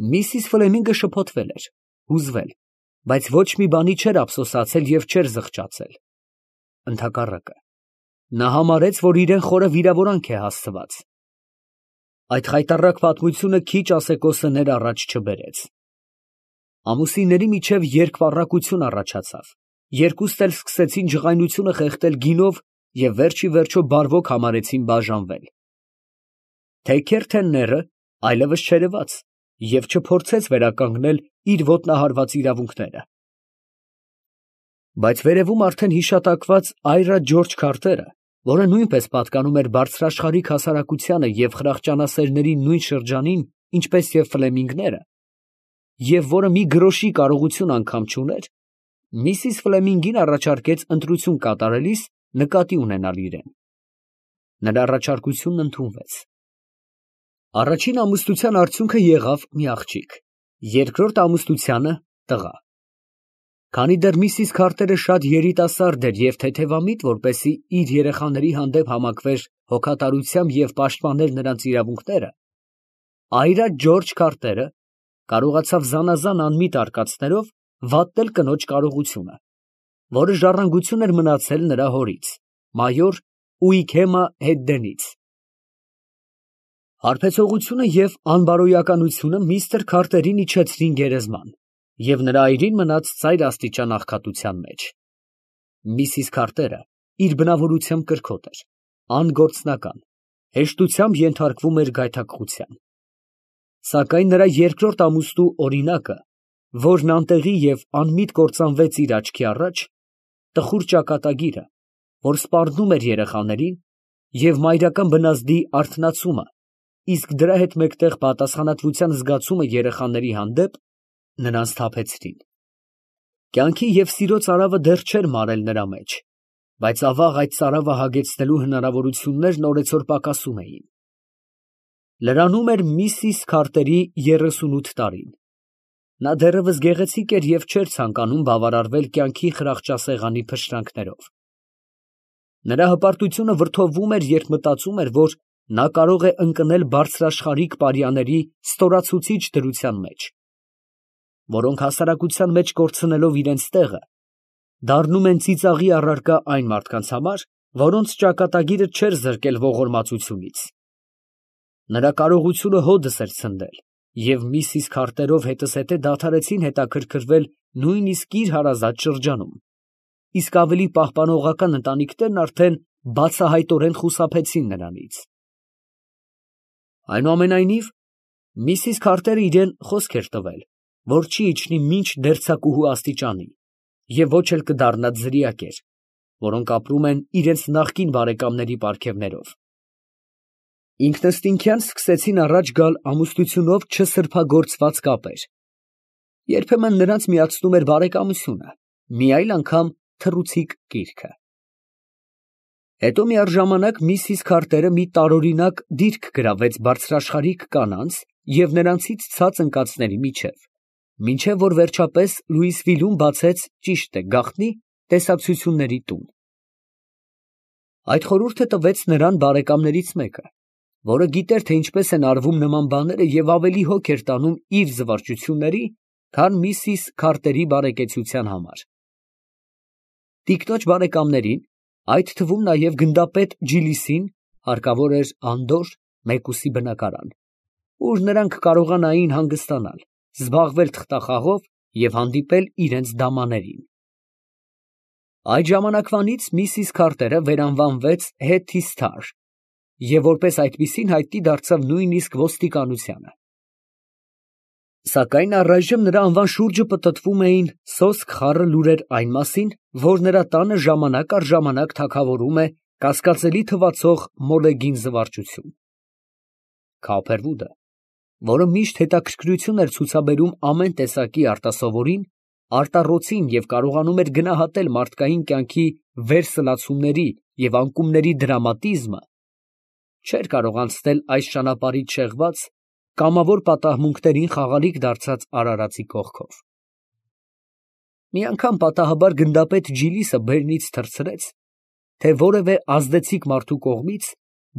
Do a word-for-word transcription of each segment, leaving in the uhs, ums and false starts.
Միսիս Ֆլեմինգը շփոթվել էր, հուզվել, բայց ոչ մի բանի չէր ափսոսացել և չէր զղջացել. ընդհակառակը, նա համարեց, որ իրան խորը վիրավորանք է հասցված։ Այդ խայտառակ պատմությունը քիչ ասեկոսներ առաջ չբերեց։ Ամուսինների միջև երկպառակություն առաջացավ, երկուստ էլ սկսեցին ջղայնությունը խեղդել գինով և վերջ ի վերջո բարվոք համարեցին բաժանվել։ Թեքերթենները այլևս չերևաց և չփորձեց վերականգնել իր ոտնահարված իրավունքները։ Բայց վերևում արդեն հիշատակված Այրա Ջորջ Քարթերը, որը նույնպես պատկանում էր բարձրաշխարհիկ հասարակությանը և խրախճանասերների նույն շրջանին, ինչպես և Ֆլեմինգները, և որը մի գրոշի կարողություն անգամ չուներ, միսիս Ֆլեմինգին առաջարկեց ընտրություն կատարելիս նկատի ունենալ իրեն։ Նրա առաջարկությունն ընդունվեց։ Առաջին ամուսնության արդյունքը եղավ մի աղջիկ, երկրորդ ամուսնությանը տղա։ Քանի դեռ միսիս Քարթերը շատ երիտասարդ էր և թեթևամիտ, որպեսզի իր երեխաների հանդեպ համակվեր հոգատարությամբ և պաշտպաներ նրանց իրավունքները, Այրա Ջորջ Քարթերը կարողացավ զանազան անմիտ արկածներով վատնել կնոջ կարողությունը, որը ժառանգություն էր մնացել նրա հորից, մայոր Ուիքեմա Հետդենից։ Հարբեցողությունը և անբարոյականությունը միստր Քարթերին իջեցրին գերեզման, և նրա այրին մնաց ծայրաստիճան աղքատության մեջ։ Միսիս Քարթերը իր բնավորությամբ կրքոտ էր, անգործնական, հեշտությամբ ենթարկվում էր գայթակղության։ Սակայն նրա երկրորդ ամուսնու օրինակը, որն անտեղի և անմիտ կործանվեց իր աչքի առաջ, տխուր ճակատագիրը, որ սպառնում էր երեխաներին, և մայրական բնազդի արթնացումը, իսկ դրա հետ մեկտեղ պատասխանատվության զգացումը երեխաների հանդեպ, նրան սթափեցրին։ Կյանքի և սիրո ծարավը դեռ չէր մարել նրա մեջ, բայց ավաղ այդ ծարավը հագեցնելու հնարավորություններն օրեցօր պակասում էին։ Լրանում էր միսիս Քարթերի երեսունութ տարին։ Նա դեռևս գեղեցիկ էր և չէր ցանկանում բավարարվել կյանքի խրախճասեղանի փշրանքներով։ Նրա հպարտությունը վրդովվում էր, երբ մտածում էր, որ նա կարող է ընկնել բարձրաշխարհիկ պարյաների ստորացուցիչ դրության մեջ, որոնք հասարակության մեջ կորցնելով իրենց տեղը, դառնում են ծիծաղի առարկա այն մարդկանց համար, որոնց ճակատագիրը չէր զրկել ողորմածությունից։ Նրա կարողությունը հօդս էր ցնդել, և միսիս Քարթերով հետզհետե դադարեցին հետաքրքրվել նույնիսկ իր հարազատ շրջանում, իսկ ավելի պահպանողական ընտանիքներն արդեն բացահայտորեն խուսափեցին նրանից։ Այնուամենայնիվ, միսիս Քարթերը իրան խոսք էր տվել, որ չի իջնի մինչ դերձակուհու աստիճանի և ոչ էլ կդառնա ձրիակեր, որոնք ապրում են իրենց նախկին բարեկամների պարգևներով։ Ինքնըստինքյան սկսեցին առաջ գալ ամուսնությունով չսրբագործված կապեր. երբեմն նրանց միացնում էր բարեկամությունը, մի այլ անգամ թռուցիկ կիրքը։ Հետո միառժամանակ միսիս Քարթերը մի տարօրինակ դիրք գրավեց բարձրաշխարհիկ կանանց և նրանցից ցած ընկածների միջև, մինչև որ վերջապես Լուիսվիլում բացեց, ճիշտ է, գաղտնի տեսակցությունների տուն։ Այդ խորհուրդը տվեց նրան բարեկամներից մեկը, որը գիտեր, թե ինչպես են արվում նման բաները և ավելի հոգ էր տանում իր զվարճությունների, քան միսիս Քարթերի բարեկեցության համար։ Տիկնոջ բարեկամներին, այդ թվում նաև գնդապետ Ջիլիսին, հարկավոր էր անդորր, մեկուսի բնակարան, ուր նրանք կարողանային հանգստանալ, զբաղվել թղթախաղով և հանդիպել իրենց դամաներին։ Այդ ժամանակվանից միսիս Քարթերը վերանվանվեց Հեթի Սթար և որպես այդպիսին հայտնի դարձավ նույնիսկ ոստիկանությանը։ Սակայն առայժմ նրա անվան շուրջը պտտվում էին սոսկ խառը լուրեր այն մասին, որ նրա տանը ժամանակ առ ժամանակ թագավորում է կասկածելի թվացող մոլեգին զվարճություն։ Քափերվուդը, որը միշտ հետաքրքրություն էր ցուցաբերում ամեն տեսակի արտասովորին, արտառոցին և կարողանում էր գնահատել մարդկային կյանքի վերսլացումների և անկումների դրամատիզմը, չէր կարող անցնել այս ճանապարհից շեղված, կամավոր պատահմունքներին խաղալիք դարձած արարածի կողքով։ Մի անգամ պատահաբար գնդապետ Ջիլիսը բերնից թռցրեց, թե որևէ ազդեցիկ մարդու կողմից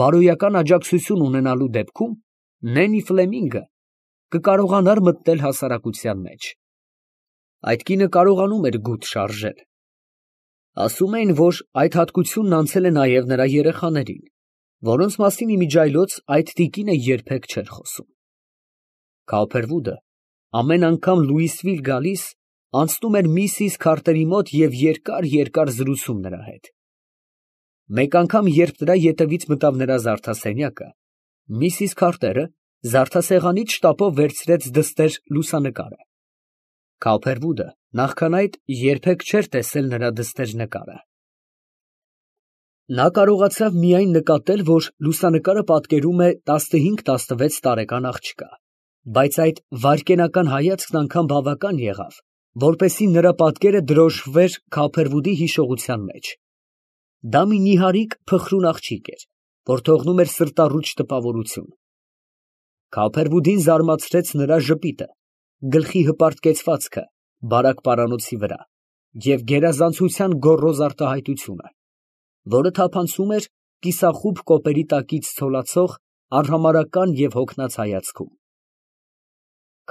բարոյական աջակցություն ունենալու դեպքում Նենի Ֆլեմինգը կկարողանար մտնել հասարակության մեջ։ Այդ կինը կարողանում էր գութ շարժել։ Ասում էին, որ այդ հատկությունն անցել է նաև նրա երեխաներին, որոնց մասին իմիջիայլոց այդ տիկինը երբեք չէր խոսում։ Քոուփերվուդը ամեն անգամ Լուիսվիլ գալիս, անցնում էր միսիս Քարտերի մոտ և երկար֊երկար զրուցում նրա հետ։ Մեկ անգամ, երբ նրա ետևից մտավ նրա զարդասենյակը, միսիս Քարտերը զարդասեղանից շտապով վերցրեց դստեր լուսանկարը։ Քոուփերվուդը նախքան այդ երբեք չէր տեսել նրա դստեր նկարը։ Նա կարողացավ միայն նկատել, որ լուսանկարը պատկերում է տասնհինգ֊տասնվեց տարեկան աղջկա, բայց այդ վայրկենական հայացքն անգամ բավական եղավ, որպեսզի նրա պատկերը դրոշմվեր Քոուփերվուդի հիշողության մեջ։ Դա մի նիհարիկ փխրուն աղջիկ էր, որ թողնում էր սրտառուչ տպավորություն։ Քոուփերվուդին զարմացրեց նրա ժպիտը, գլխի հպարտ կեցվածքը բարակ պարանոցի վրա և գերազանցության գոռոզ արտահայտությունը, որը թափանցում էր կիսախուբ կոպերի տակից ցոլացող արհամարհական և հոգնած հայացքում։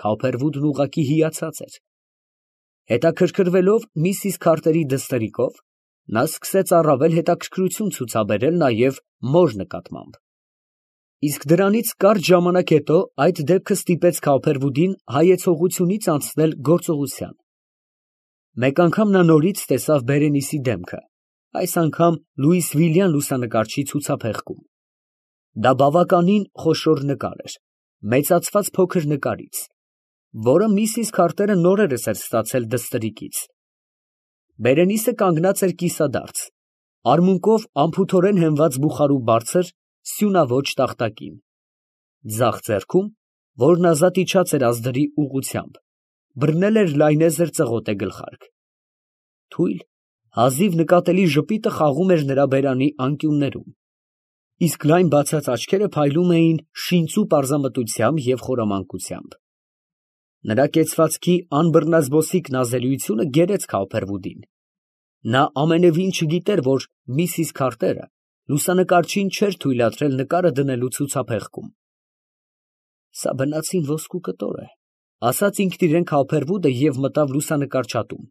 Քոուփերվուդն ուղղակի հիացած էր։ Հետաքրքրվելով միսիս Քարտերի դստերիկով, նա սկսեց առավել հետաքրքրություն ցուցաբերել նաև մոր նկատմամբ։ Իսկ դրանից կարճ ժամանակ հետո այդ դեպքը ստիպեց Քոուփերվուդին հայեցողությունից անցնել գործողության։ Մեկ անգամ նա նորից տեսավ Բերենիսի դեմքը, այս անգամ լուիսվիլյան լուսանկարչի ցուցափեղկում։ Դա բավականին խոշոր նկար էր, մեծացված փոքր նկարից, որը միսիս Քարտերը նորերս էր ստացել դստերիկից։ Բերենիսը կանգնած էր կիսադարձ, արմունկով անփութորեն հենված բուխարու բարձր, սյունաոճ տախտակին, ձախ ձեռքում, որն ազատ իջած էր ազդրի ուղղությամբ, բռնել էր լայնեզր ծղոտե գլխարկ։ Թույլ, հազիվ նկատելի ժպիտը խաղում էր նրա բերանի անկյուններում, իսկ լայն բացած աչքերը փայլում էին շինծու պարզամտությամբ և խորամանկությամբ։ Նրա կեցվածքի անբռնազբոսիկ նազելիությունը գերեց Քոուփերվուդին։ Նա ամենևին չգիտեր, որ միսիս Քարտերը լուսանկարչին չէր թույլատրել նկարը դնելու ցուցափեղկում։ «Սա բնածին ոսկու կտոր է», ֊ ասաց ինքն իրան Քոուփերվուդը և մտավ լուսանկարչատուն։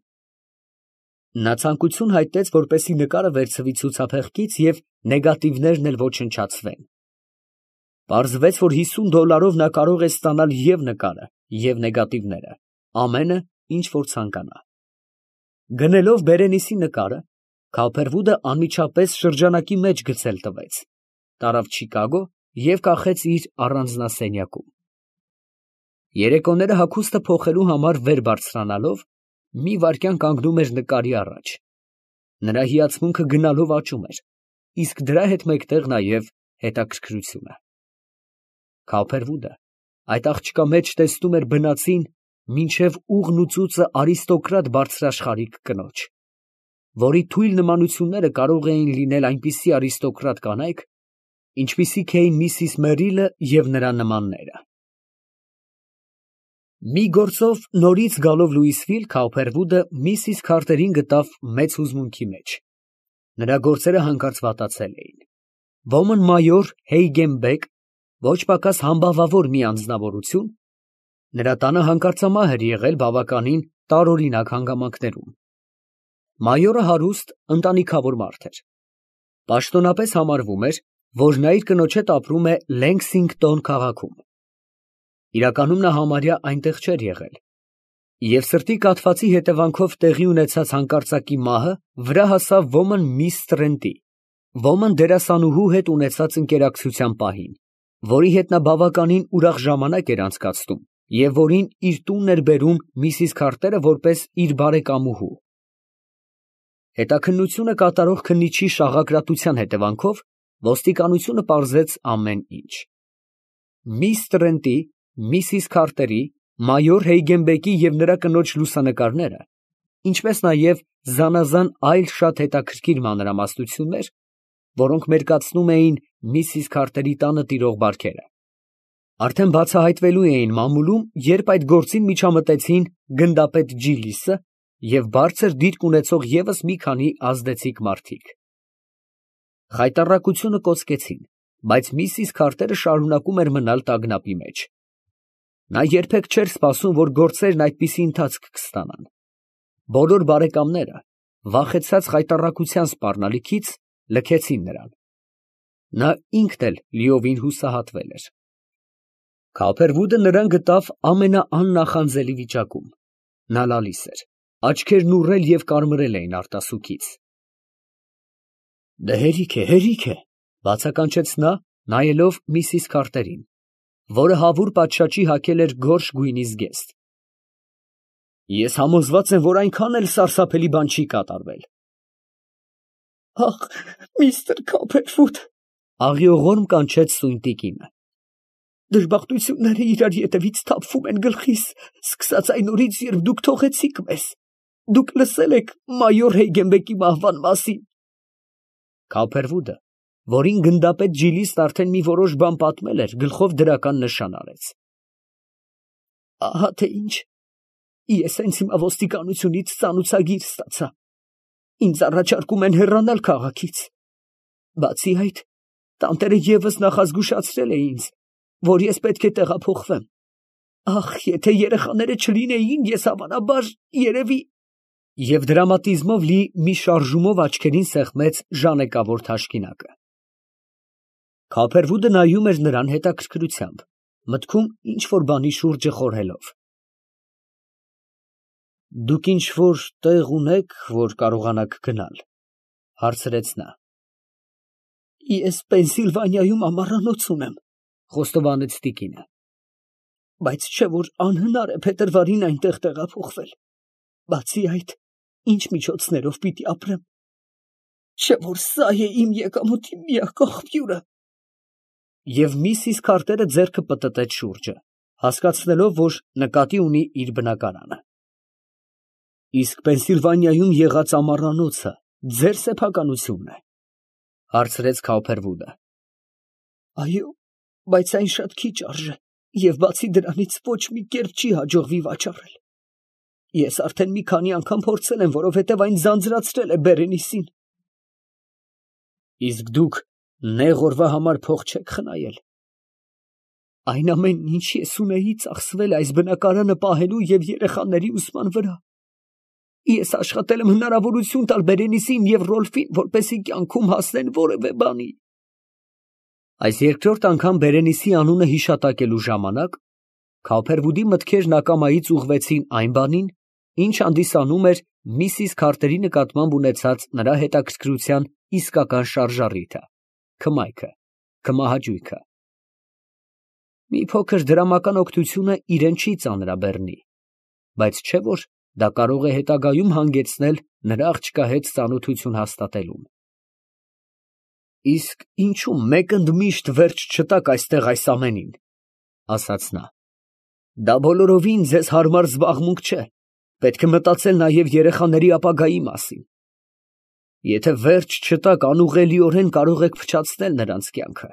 Նա ցանկություն հայտնեց, որպեսզի նկարը վերցվի ցուցափեղկից և նեգատիվներն էլ ոչնչացվեն։ Պարզվեց, որ հիսուն դոլարով նա կարող է ստանալ և նկարը, և նեգատիվները, ամենը, ինչ որ ցանկանա։ Գնելով Բերենիսի նկարը, Քոուփերվուդը անմիջապես շրջանակի մեջ գցել տվեց, տարավ Չիկագո և կախեց իր առանձնասենյակում։ Երեկոները հագուստը փոխելու համար վեր բարձրանալով, մի վայրկյան կանգնում էր նկարի առաջ։ Նրա հիացմունքը գնալով աճում էր, իսկ դրա հետ մեկտեղ նաև հետաքրքրությունը։ Քոուփերվուդը այդ աղջկա մեջ տեսնում էր բնածին մինչև ուղն ու ծուծը արիստոկրատ բարձրաշխարհիկ կնոջ, որի թույլ նմանությունները կարող էին լինել այնպիսի արիստոկրատ կանայք, ինչպիսիք էին միսիս Մերիլը և նրա նմանները։ Մի գործով նորից գալով Լուիսվիլ, Քոուփերվուդը միսիս Քարտերին գտավ մեծ հուզմունքի մեջ։ Նրա գործերը հանկարծ վատացել էին։ Ոմն մայոր Հեյգենբեկ, ոչ պակաս համբավավոր մի անձնավորություն, նրա տանը հանկարծամահ էր եղել բավականին տարօրինակ հանգամանքներում։ Մայորը հարուստ, ընտանիքավոր մարդ էր։ Պաշտոնապես համարվում էր, որ նա իր կնոջ հետ ապրում է Լենգսինգտոն քաղաքում։ Իրականում նա համարյա այնտեղ չէր եղել, և սրտի կաթվածի հետևանքով տեղի ունեցած հանկարծակի մահը վրա հասավ ոմն միս Տրենտի, ոմն դերասանուհու հետ ունեցած ընկերակցության պահին, որի հետ նա բավականին ուրախ ժամանակ էր անցկացնում և որին իր տունն էր բերում միսիս Քարտերը որպես իր բարեկամուհու։ Հետաքննությունը կատարող քննիչի շաղակրատության հետևանքով ոստիկանությունը պարզեց ամեն ինչ։ Միս Տրենտի, միսիս Քարտերի, մայոր Հեյգենբեկի և նրա կնոջ լուսանկարները, ինչպես նաև զանազան այլ շատ հետաքրքիր մանրամասնություններ, որոնք մերկացնում էին միսիս Քարտերի տանը տիրող բարքերը, արդեն բացահայտվելու էին մամուլում, երբ այդ գործին միջամտեցին գնդապետ Ջիլիսը և բարձր դիրք ունեցող ևս մի քանի ազդեցիկ մարդիկ։ Խայտառակությունը կոծկեցին, բայց միսիս Քարտերը շարունակում էր մնալ տագնապի մեջ։ Նա երբեք չէր սպասում, որ գործերն այդպիսի ընթացք կստանան։ Բոլոր բարեկամները, վախեցած խայտառակության սպառնալիքից, լքեցին նրան։ Նա ինքն էլ լիովին հուսահատվել էր։ Քափերվուդը նրան գտավ ամենաաննախանձելի վիճակում։ Նա լալիս էր, աչքերն ուռել և կարմրել էին արտասուքից։ Դե հերիք է, հերիք է, բացականչեց նա, նայելով միսիս Քարտերին, որը հավուր պատշաճի հագել էր գորշ գույնի զգեստ։ Ես համոզված եմ, որ այնքան էլ սարսափելի բան չի կատարվել։ Ախ, միստր Քոփերֆուդ, աղիողորմ կանչեց սույն տիկինը։ Դժբախտությունները իրար ետևից թափվում են գլխիս, սկսած այն օրից, երբ դուք թողեցիք մեզ։ Դուք լսել եք մայոր Հեյգենբեկի մահվան մասին։ Քոփերվուդը, որին գնդապետ Ջիլիսն արդեն մի որոշ բան պատմել էր, գլխով դրական նշան արեց։ Ահա թե ինչ։ Ես հենց հիմա ոստիկանությունից ծանուցագիր ստացա։ Ինձ առաջարկում են հեռանալ քաղաքից։ Բացի այդ, տանտերը ևս նախազգուշացրել է ինձ, որ ես պետք է տեղափոխվեմ։ Ախ, եթե երեխաները չլինեին, ես հավանաբար, երևի… Եվ դրամատիզմով լի մի շարժումով աչքերին սեղմեց ժանեկավոր թաշկինակը։ Քոփերվուդը նայում էր նրան հետաքրքրությամբ, մտքում ինչ֊որ բանի շուրջը խորհելով։ Դուք ինչ֊որ տեղ ունե՞ք, որ կարողանաք գնալ, հարցրեց նա։ Ես Պենսիլվանիայում ամառանոց ունեմ, խոստովանեց տիկինը, բայց չէ որ անհնար է փետրվարին այնտեղ տեղափոխվել։ Բացի այդ, ինչ միջոցներով պիտի ապրեմ։ Չէ որ սա է իմ եկամուտի միակ աղբյուրը։ Եվ միսիս Քարտերը ձեռքը պտտեց շուրջը, հասկացնելով, որ նկատի ունի իր բնակարանը։ Իսկ Պենսիլվանիայում եղած ամառանոցը ձեր սեփականությունն է, հարցրեց Քոփերվուդը։ Այո, բայց այն շատ քիչ արժե, և բացի դրանից ոչ մի կերպ չի հաջողվի վաճառել։ Ես արդեն մի քանի անգամ փորձել եմ, որովհետև այն ձանձրացրել է Բերենիսին։ Իսկ դուք նեղ օրվա համար փող չեք խնայել։ Այն ամենն, ինչ ես ունեի, ծախսվել է այս բնակարանը պահելու և երեխաների ուսման վրա։ Ես աշխատել եմ հնարավորություն տալ Բերենիսին և Ռոլֆին, որպեսզի կյանքում հասնեն որևէ բանի։ Այս երկրորդ անգամ Բերենիսի անունը հիշատակելու ժամանակ Քոփերվուդի մտքերն ակամայից ուղղվեցին այն բանին, ինչ հանդիսանում էր միսիս Քարտերի նկատմամբ ունեցած նրա հետաքրքրության իսկական շարժառիթը, քմայքը, քմահաճույքը։ Մի փոքր դրամական օգնությունը իրեն չի ծանրաբեռնի, բայց չէ որ դա կարող է հետագայում հանգեցնել նրա աղջկա հետ ծանոթություն հաստատելուն։ Իսկ ինչու մեկ ընդմիշտ վերջ չտաք այստեղ այս ամենին, ասաց նա։ Դա բոլորովին ձեզ հարմար զբաղմունք չէ, պետք է մտածել նաև երեխաների ապագայի մասին։ Եթե վերջ չտաք, անուղղելիորեն կարող եք փչացնել նրանց կյանքը։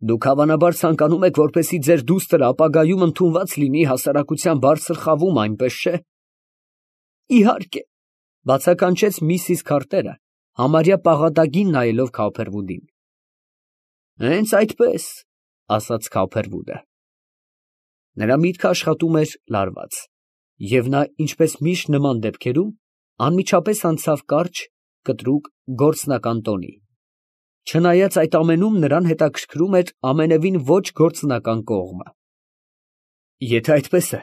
Դուք հավանաբար ցանկանում եք, որպեսզի ձեր դուստրը ապագայում ընդունված լինի հասարակության բարձր խավում, այնպես չէ։ Իհարկե, բացականչեց միսիս Քարտերը, համարյա պաղատագին նայելով Քոփերվուդին։ Հենց այդպես, ասաց Քոփերվուդը։ Նրա միտքը աշխատում էր լարված, և նա, ինչպես միշտ նման դեպքերում, անմիջապես անցավ կարճ, կտրուկ գործնական տոնի։ Չնայած այդ ամենում նրան հետաքրքրում էր ամենևին ոչ գործնական կողմը։ Եթե այդպես է,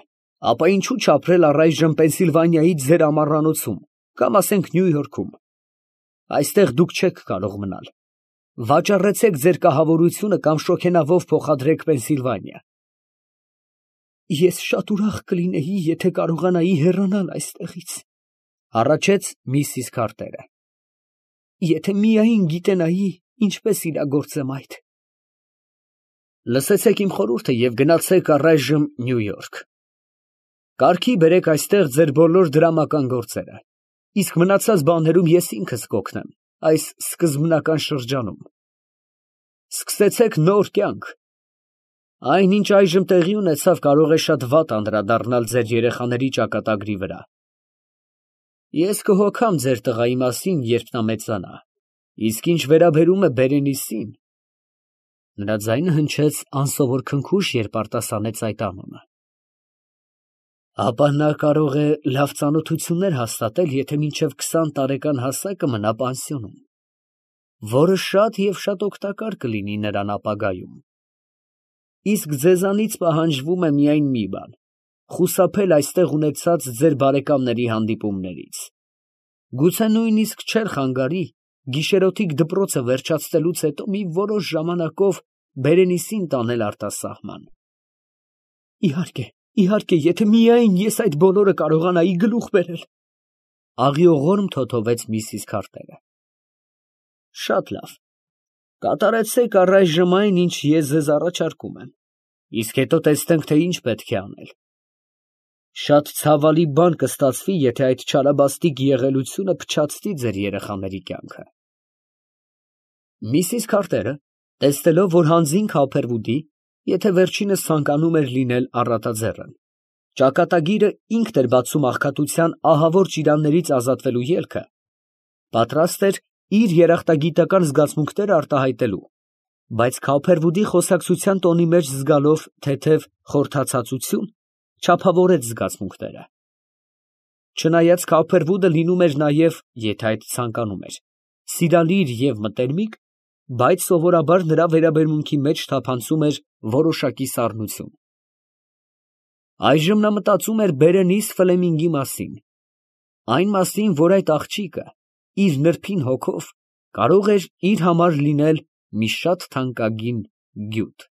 ապա ինչու չապրել առայժմ Պենսիլվանիայի ձեր ամառանոցում, կամ ասենք Նյու Յորքում։ Այստեղ դուք չեք կարող մնալ։ Վաճառեցեք ձեր կահավորությունը կամ շոգենավով փոխադրեք Պենսիլվանիա։ Ես շատ ուրախ կլինեի, եթե կարողանայի հեռանալ այստեղից, հառաչեց միսիս Քարտերը։ Եթե միայն գիտենայի, ինչպես իրագործեմ այդ։ Լսեցեք իմ խորհուրդը և գնացեք առայժմ Նյու Յորք։ Կարգի բերեք այստեղ ձեր բոլոր դրամական գործերը, իսկ մնացած բաներում ես ինքս կօգնեմ այս սկզբնական շրջանում։ Սկսեցեք նոր կյանք։ Այն, ինչ այժմ տեղի ունեցավ, կարող է շատ վատ անդրադառնալ ձեր երեխաների ճակատագրի վրա։ Ես կհոգամ ձեր տղայի մասին, երբ նա մեծանա, իսկ ինչ վերաբերում է Բերենիսին… Նրա ձայնը հնչեց անսովոր քնքուշ, երբ արտասանեց այդ անունը։ Ապա նա կարող է լավ ծանոթություններ հաստատել, եթե մինչև քսան տարեկան հասակը մնա պանսիոնում, որը շատ և շատ օգտակար կլինի նրան ապագայում։ Իսկ ձեզանից պահանջվում է միայն մի բան՝ խուսափել այստեղ ունեցած ձեր բարեկամների հանդիպումներից։ Գուցե նույնիսկ չէր խանգարի գիշերօթիկ դպրոցը վերջացնելուց հետո մի որոշ ժամանակով Բերենիսին տանել արտասահման։ Իհարկե, իհարկե, եթե միայն ես այդ բոլորը կարողանայի գլուխ բերել, աղիողորմ թոթովեց միսիս Քարտերը։ Շատ լավ, կատարեցեք առայժմ այն, ինչ ես ձեզ առաջարկում եմ, իսկ հետո տեսնենք, թե ինչ պետք է անել։ Շատ ցավալի բան կստացվի, եթե այդ չարաբաստիկ եղելությունը փչացնի ձեր երեխաների կյանքը։ Միսիս Քարտերը, տեսնելով, որ հանձին Քոփերվուդի, եթե վերջինս ցանկանում էր լինել առատաձեռն, ճակատագիրը ինքն էր բացում աղքատության ահավոր ճիրաններից ազատվելու ելքը, պատրաստ էր իր երախտագիտական զգացմունքները արտահայտելու, բայց Քոփերվուդի խոսակցության տոնի մեջ զգալով թեթև խորհրդածածություն, չափավորեց զգացմունքները։ Չնայած Քոփերվուդը լինում էր նաև, եթե այդ ցանկանում էր, սիրալիր և մտերմիկ, բայց սովորաբար նրա վերաբերմունքի մեջ թափանցում էր որոշակի սառնություն։ Այժմ նա մտածում էր Բերենիս Ֆլեմինգի մասին, այն մասին, որ այդ աղջիկը իր նրբին հոգով կարող էր իր համար լինել մի շատ թանկագին գյուտ։